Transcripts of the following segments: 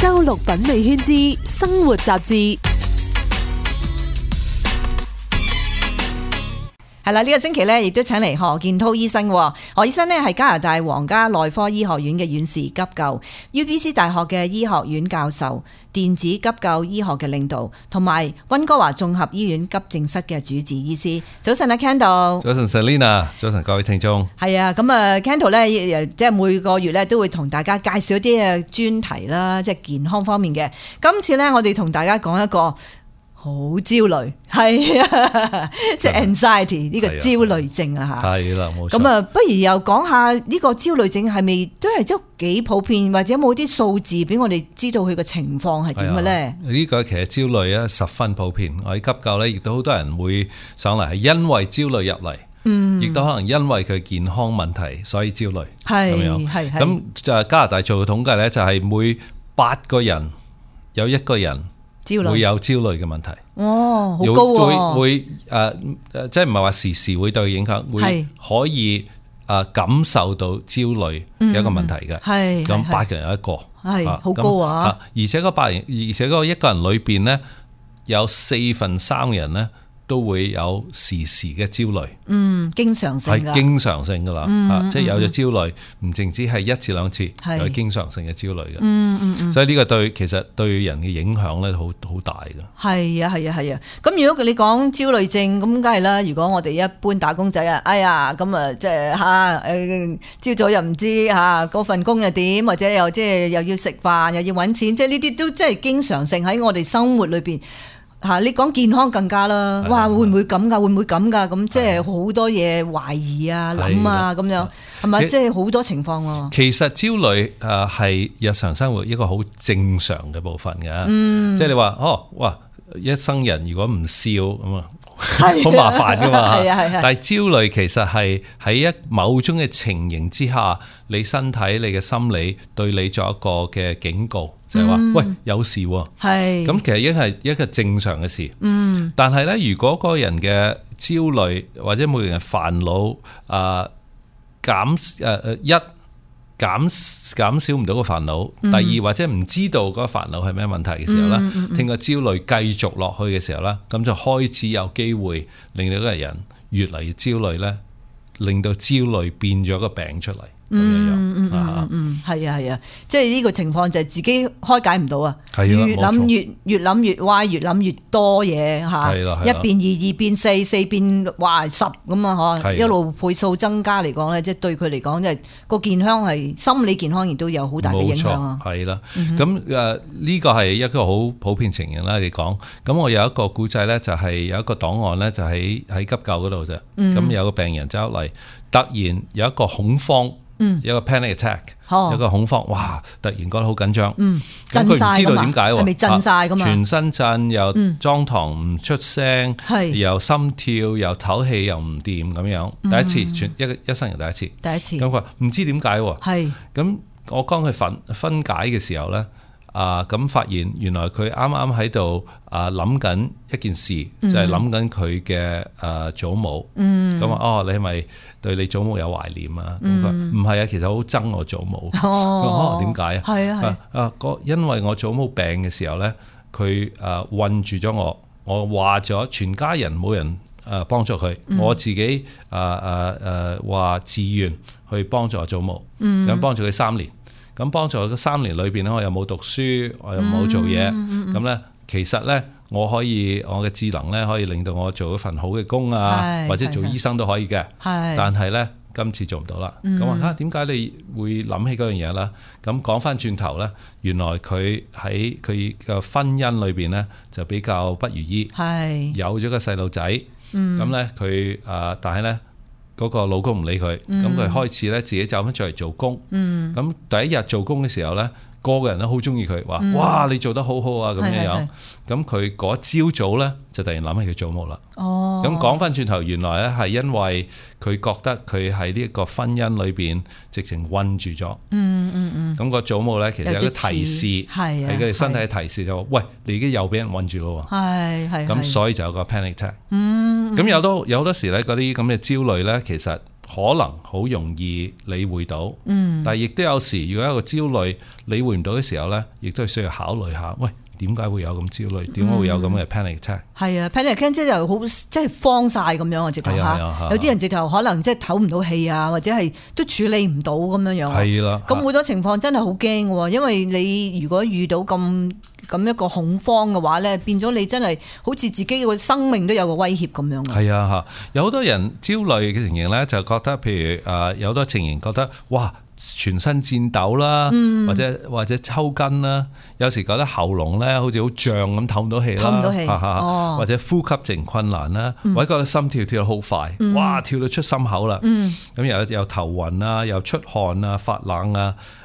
周六品味圈之生活雜誌。係啦，呢個星期咧，亦都請嚟何建滔醫生。何醫生呢係加拿大皇家內科醫學院嘅院士急救 ，UBC 大學嘅醫學院教授，電子急救醫學嘅領導，同埋溫哥華綜合醫院急症室嘅主治醫師。早晨啊 Kendall， 早晨 Selina， 早晨各位聽眾。係啊，咁啊 Kendall 咧，即係每個月咧都會同大家介紹一啲嘅專題啦，即係健康方面嘅。今次咧，我哋同大家講一個好焦慮，係啊，即係 anxiety 呢個焦慮症啊嚇。係啦，冇錯。咁啊，不如又講下呢個焦慮症係咪都係即係幾普遍，或者有冇啲數字俾我哋知道佢個情況係點嘅咧？呢個其實焦慮咧十分普遍，我喺急救咧亦都好多人會上嚟係因為焦慮入嚟，亦都可能因為佢健康問題所以焦慮。係咁樣，係咁就加拿大做嘅統計咧，就係每8個人有1個人會有焦慮嘅問題。哦，好高喎！會即係唔係話時時會對佢影響，會可以感受到焦慮嘅一個問題嘅。係咁8個人有1個，係好高啊！而且嗰1個人裏邊咧，有4/3人咧都會有時時嘅焦慮。經常性㗎，係經常性㗎啦。即係有咗焦慮，唔淨止係1至2次，有經常性嘅焦慮嘅。所以呢個其實對人嘅影響咧，好大嘅。係啊，係啊，係啊。咁如果你講焦慮症，咁梗係啦。如果我哋一般打工仔啊，哎呀，咁啊，即係朝早又唔知嗰份工又點，或者又即係又要食飯，又要揾錢，即係呢啲都即係經常性喺我哋生活裏邊。你講健康更加啦，哇，會唔會咁㗎？會唔會咁㗎？咁即係好多嘢懷疑啊、諗啊咁樣，係咪？即係好多情況喎。其實焦慮係日常生活一個好正常嘅部分嘅。即係你話哇，一生人如果唔笑咁啊，好麻煩㗎嘛。但係焦慮其實係喺某種嘅情形之下，你身體、你嘅心理對你作一個嘅警告。就係話，喂，有事喎。係咁，其實已經係一個正常嘅事。但係咧，如果嗰個人嘅焦慮或者每個人嘅煩惱減少唔到個煩惱，第二或者唔知道嗰個煩惱係咩問題嘅時候咧，聽個焦慮繼續落去嘅時候咧，咁就開始有機會令到嗰個人越嚟越焦慮咧，令到焦慮變咗個病出嚟。係啊，即係呢個情況就係自己開解唔到啊，越諗越歪，越諗越多嘢吓，一變2，2變4，4變10咁啊，嗬，一路倍數增加嚟講咧，即係對佢嚟講，即係個健康係心理健康亦都有好大嘅影響啊。係啦，咁呢個係一個好普遍情形啦。你講，咁我有一個故仔咧，就係有一個檔案咧，就喺急救嗰度啫。咁有個病人走嚟，突然有一個恐慌。有個 panic attack，有個恐慌，哇！突然覺得好緊張，咁佢唔知道點解喎，係咪震晒㗎嘛？全身震，又裝堂唔出聲，又心跳，又唞氣，又唔掂咁樣。第一次，一生人第一次。咁佢話唔知點解喎。咁我幫佢分解嘅時候咧，咁發現原來佢啱啱喺度諗緊一件事，就係諗緊佢嘅祖母。咁話你係咪對你祖母有懷念啊？咁佢唔係啊，其實好憎我祖母。點解啊？係啊，因為我祖母病嘅時候咧，佢困住咗我，我話咗全家人冇人幫助佢，我自己話自願去幫助我祖母，咁幫助佢3年。咁幫助咗3年裏邊咧，我又冇讀書，我又冇做嘢，咁咧其實咧我嘅智能咧可以令到我做一份好嘅工啊，或者做醫生都可以嘅。但係咧今次做唔到啦。咁話點解你會諗起嗰樣嘢啦？咁講翻轉頭咧，原來佢喺佢嘅婚姻裏邊咧就比較不如意，有咗個細路仔，咁咧佢但係咧。嗰個老公唔理佢，咁佢開始咧自己走翻出嚟做工。咁第一日做工嘅時候咧，個人都好中意佢，話哇你做得好好啊咁樣。咁佢嗰朝早咧就突然諗起佢祖母啦。咁講翻轉頭，原來咧係因為佢覺得佢喺呢一個婚姻裏邊直情困住咗。咁個祖母咧其實有個提示，係佢哋身體嘅提示就話：喂，你已經又俾人困住咯。咁所以就有個 panic attack。咁有好多時咧，嗰啲咁嘅焦慮咧，其實可能好容易理會到，但係亦都有時如果一個焦慮理會唔到嘅時候咧，亦都係需要考慮下，喂，點解會有咁焦慮？點解會有咁嘅 panic attack？係啊 ，panic attack 即係又好，即係慌晒咁樣啊！直頭嚇，有啲人直頭可能即係唞唔到氣啊，或者係都處理唔到咁樣樣。係啦，咁好多情況真係好驚喎，因為你如果遇到咁一個恐慌嘅話咧，變咗你真係好似自己個生命都有個威脅咁樣。係啊嚇，有好多人焦慮嘅情形咧，就覺得譬如有好多情形覺得哇，全身顫抖啦，或者抽筋啦，有時覺得喉嚨咧好似好脹咁，唞唔到氣啦，或者呼吸淨困難啦，或者覺得心跳跳得好快，哇，跳到出心口啦，咁又頭暈啊，又出汗啊，發冷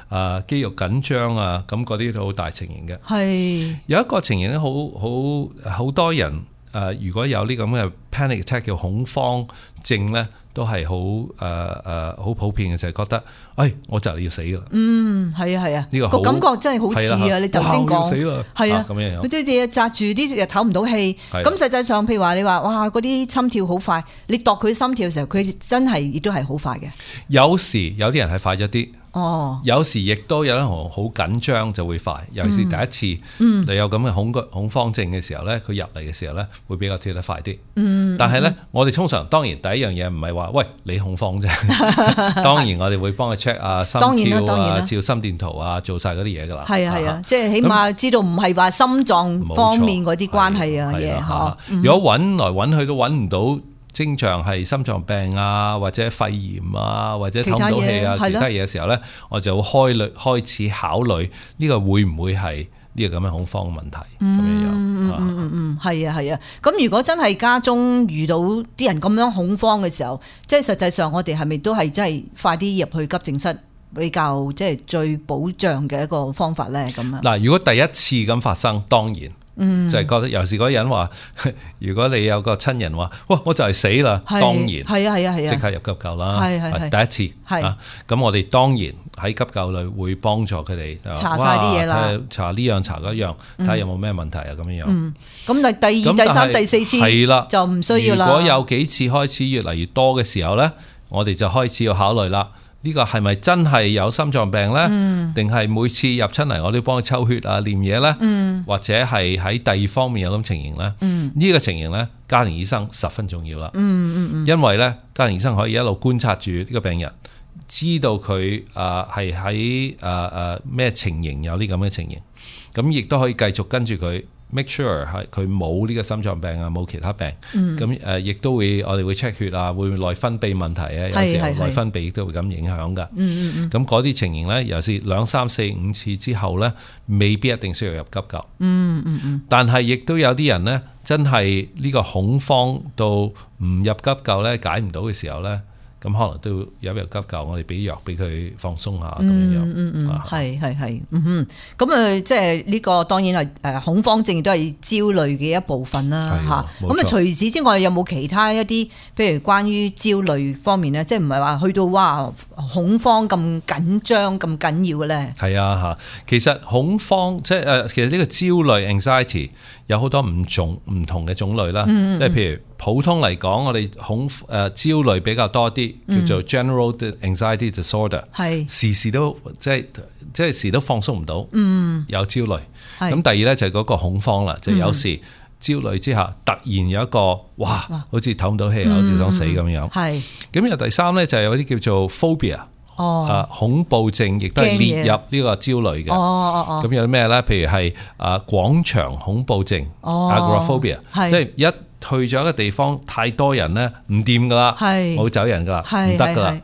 啊，肌肉緊張啊，咁嗰啲都好大情形嘅。係有一個情形咧，好多人如果有呢咁嘅 panic attack 叫恐慌症咧，都係好普遍嘅，就係覺得，我就嚟要死噶啦。係啊，呢個感覺真係好似啊！你頭先講，死啦，係啊，咁樣，好似紮住啲又唞唔到氣。咁實際上，譬如話你話，哇，嗰啲心跳好快，你度佢心跳嘅時候，佢真係亦都係好快嘅。有時有啲人係快咗啲。有時亦都有人好緊張就會快，尤其是第一次你有咁嘅恐慌症嘅時候咧，佢入嚟嘅時候咧會比較跳得快啲。但係咧，我哋通常當然第一樣嘢唔係話喂你恐慌啫，當然我哋會幫佢 check 啊心跳啊，照心電圖啊，做晒嗰啲嘢噶啦。係啊，即係起碼知道唔係話心臟方面嗰啲關係啊嘢。如果揾來揾去都揾唔到症狀係心臟病啊，或者肺炎啊，或者唞唔到氣啊，其他嘢嘅時候咧，我就會開始考慮呢個會唔會係呢個咁嘅恐慌問題咁樣。係啊。咁如果真係家中遇到啲人咁樣恐慌嘅時候，即係實際上我哋係咪都係真係快啲入去急症室比較即係最保障嘅一個方法咧？咁啊嗱，如果第一次咁發生，當然。就係覺得，尤其是嗰個人話，如果你有個親人話，哇，我就係死啦，當然係啊，即刻入急救啦，係第一次，咁我哋當然喺急救裏會幫助佢哋查晒啲嘢啦，查呢樣查嗰樣，睇下有冇咩問題啊咁樣樣。咁但係第二、第三、第四次係啦，就唔需要啦。如果有幾次開始越嚟越多嘅時候咧，我哋就開始要考慮啦。呢個係咪真係有心臟病呢？定係每次入親嚟我都幫佢抽血啊、驗嘢呢？或者係喺第二方面有咁情形呢？呢個情形呢，家庭醫生十分重要啦。因為呢，家庭醫生可以一路觀察住呢個病人，知道佢係喺咩情形有呢咁嘅情形，咁亦都可以繼續跟住佢。make sure 係佢冇呢個心臟病啊，冇其他病，咁亦都會我哋會 check 血啊，會內分泌問題啊，有時候內分泌亦都會咁影響噶。咁嗰啲情形咧，尤其是2、3、4、5次之後咧，未必一定需要入急救。但係亦都有啲人咧，真係呢個恐慌到唔入急救咧，解唔到嘅時候咧。咁可能都有入急救，我哋俾藥俾佢放鬆下咁樣。係。咁即係呢個當然係恐慌症，亦都係焦慮嘅一部分啦。嚇，咁除此之外，有冇其他一啲，譬如關於焦慮方面咧，即係唔係話去到哇恐慌咁緊張咁緊要嘅咧？係啊嚇，其實恐慌即係其實呢個焦慮 anxiety 有好多唔同嘅種類啦。即係譬如普通嚟講，我哋焦慮比較多啲。叫做 general anxiety disorder， 時時都即係時都放鬆唔到，有焦慮。咁第二咧就係嗰個恐慌啦，就有時焦慮之下突然有一個哇，好似唞唔到氣啊，好似想死咁樣。咁又第三咧就係有啲叫做 phobia，恐怖症，亦都係列入呢個焦慮嘅。咁有啲咩咧？譬如係廣場恐怖症 agoraphobia， 即係一去咗一個地方太多人咧，唔掂噶啦，冇走人噶啦，唔得噶啦。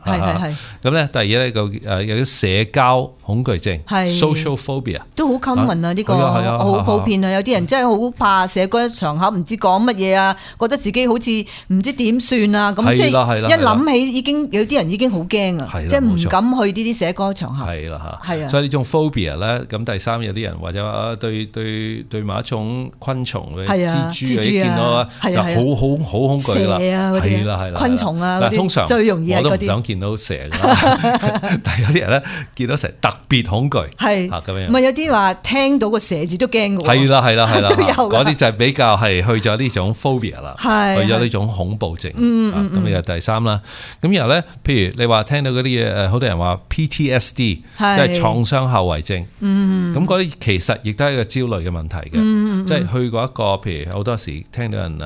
咁咧，第二咧個有啲社交恐懼症 social phobia 都好 common 啊，呢個好普遍啊。有啲人真係好怕社交場合，唔知講乜嘢啊，覺得自己好似唔知點算啊。咁即係一諗起已經有啲人已經好驚啊，即係唔敢去呢啲社交場合。係啦嚇，係啊。所以呢種 phobia 咧，咁第三有啲人或者話對某一種昆蟲嘅蜘蛛，你見到啊，係啊，好恐懼啦，係啦，昆蟲啊嗰啲，通常最容易係嗰啲。我都唔想見到蛇㗎，但係有啲人咧見到蛇特別恐懼，係咁樣。唔係有啲話聽到個蛇字都驚㗎喎。係啦，都有㗎。嗰啲就係比較係去咗呢種 phobia 啦，去咗呢種恐怖症。咁呢個第三啦。咁然後咧，譬如你話聽到嗰啲嘢，好多人話 PTSD，即係創傷後遺症。咁嗰啲其實亦都係一個焦慮嘅問題嘅，即係去過一個，譬如好多時聽到人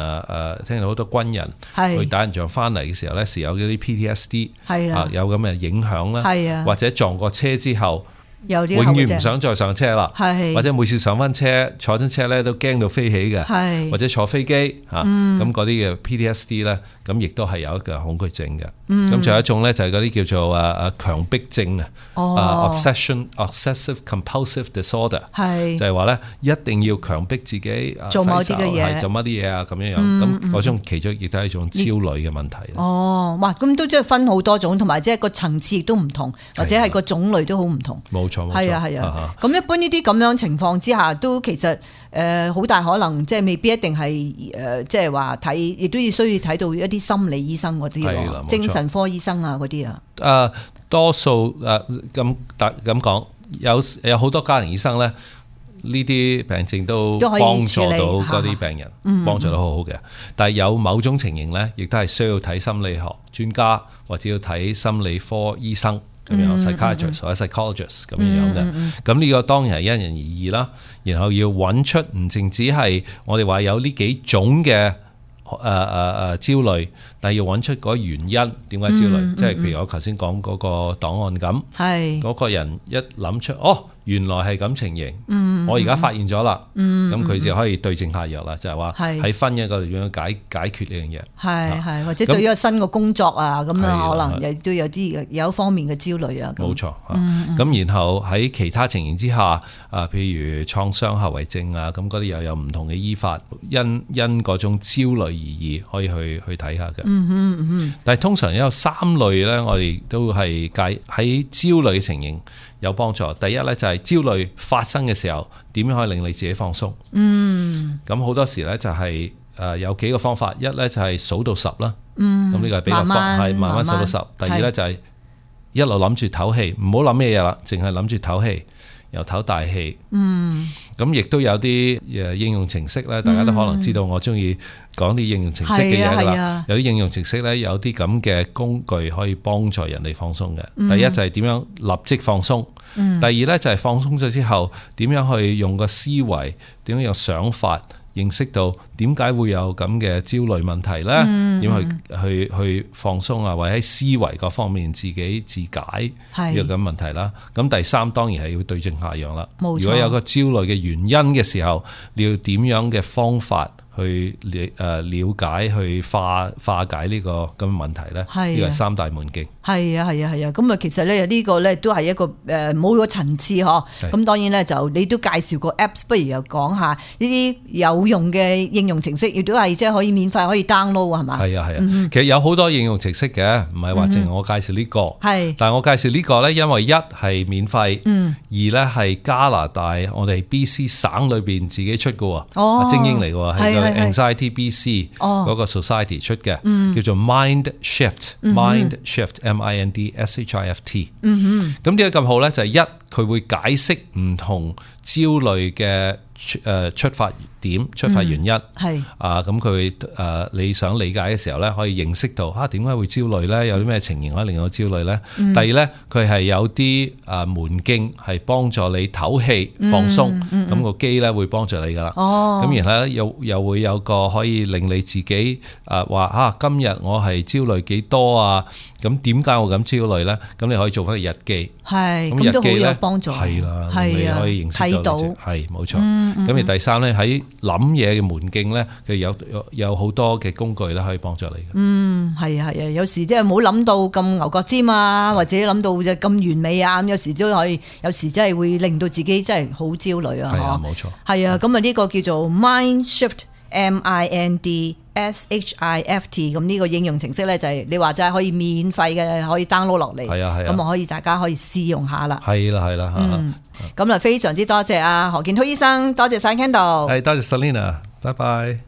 聽到好多軍人去打人仗翻嚟嘅時候咧，時有嗰啲 PTSD，有咁嘅影響啦，或者撞過車之後，永遠唔想再上車啦，或者每次上翻車坐親車咧都驚到飛起嘅，或者坐飛機咁嗰啲嘅 PTSD 咧，咁亦都係有一個恐懼症嘅。咁仲有一種咧就係嗰啲叫做強迫症obsessive compulsive disorder， 就係話咧一定要強迫自己做某啲嘅嘢，做乜啲嘢啊咁樣樣。咁嗰種其中亦都係一種焦慮嘅問題。哇！咁都即係分好多種，同埋即係個層次亦都唔同，或者係個種類都好唔同。冇錯，係啊。咁一般呢啲咁樣情況之下，都其實好大可能即係未必一定係即係話睇，亦都需要睇到一啲心理醫生嗰啲，精神科醫生啊嗰啲啊。多數咁講，有好多家庭醫生咧，呢啲病症都幫助到嗰啲病人，幫助得好好嘅。但係有某種情形咧，亦都係需要睇心理學專家或者要睇心理科醫生咁樣 psychiatrist 或者 psychologist 咁樣嘅。咁呢個當然係因人而異啦。然後要揾出唔淨止係我哋話有呢幾種嘅焦慮，但係要揾出嗰原因點解焦慮，即係譬如我頭先講嗰個檔案咁，嗰個人一諗出原來係咁情形，我而家發現咗啦，咁佢就可以對症下藥啦，就係話喺婚姻嗰度點樣解決呢樣嘢，係或者對於一個新嘅工作啊，咁樣可能亦都有啲有一方面嘅焦慮啊。冇錯，咁然後喺其他情形之下，譬如創傷後遺症啊，咁嗰啲又有唔同嘅醫法，因嗰種焦慮而異，可以去睇下嘅。但係通常有3類咧，我哋都係喺焦慮嘅情形有幫助。第一咧就係焦慮發生嘅時候，點樣可以令你自己放鬆？咁好多時咧就係有幾個方法，一咧就係數到10啦。咁呢個係比較快，慢慢數到10。第二咧就係一路諗住唞氣，唔好諗咩嘢啦，淨係諗住唞氣，又唞大氣。咁亦都有啲應用程式咧，大家都可能知道我中意講啲應用程式嘅嘢啦。有啲應用程式咧，有啲咁嘅工具可以幫助人哋放鬆嘅。第一就係點樣立即放鬆，第二咧就係放鬆咗之後點樣去用個思維，點樣有想法，認識到點解會有咁嘅焦慮問題咧，點去放鬆啊，或者喺思維各方面自己自解呢個咁問題啦。咁第三當然係要對症下藥啦。如果有個焦慮嘅原因嘅時候，你要點樣嘅方法去了解，去化解呢個咁嘅問題咧？呢個係3大門徑。係啊。咁啊，其實咧呢個咧都係一個冇個層次嗬。咁當然咧就你都介紹過 Apps， 不如又講下呢啲有用嘅應用程式，亦都係即係可以免費可以 download 係嘛？係啊。其實有好多應用程式嘅，唔係話淨係我介紹呢個。但係我介紹呢個咧，因為一係免費，二咧係加拿大我哋 BC 省裏邊自己出嘅，精英嚟嘅，係個 Anxiety BC 嗰個 Society 出嘅，叫做 Mind Shift。Mind Shift MINDSHIFT。咁點解咁好咧？就係一，佢會解釋唔同焦慮嘅出發點、出發原因。咁佢你想理解嘅時候咧，可以認識到點解會焦慮咧？有啲咩情形可以令我焦慮咧？第二咧，佢係有啲門徑係幫助你唞氣放鬆，咁個機咧會幫助你噶啦。咁然後咧又會有個可以令你自己話今日我係焦慮幾多啊？咁點解我咁焦慮咧？咁你可以做翻個日記。咁日記咧幫助係啦，你可以認識到係冇錯。咁而第三咧，喺諗嘢嘅門徑咧，佢有好多嘅工具咧，可以幫助你嘅。係啊，有時即係冇諗到咁牛角尖啊，或者諗到咁完美啊，咁有時都可以，有時真係會令到自己真係好焦慮啊。係啊，冇錯。係啊，咁啊呢個叫做 Mind Shift MINDSHIFT， 咁呢個應用程式咧就係你話就係可以免費嘅，可以 download 落嚟。係啊，咁啊可以大家可以試用下啦。係啦。咁啊非常之多謝何建滔醫生，多謝晒 Kendall，多謝 Selena，拜拜。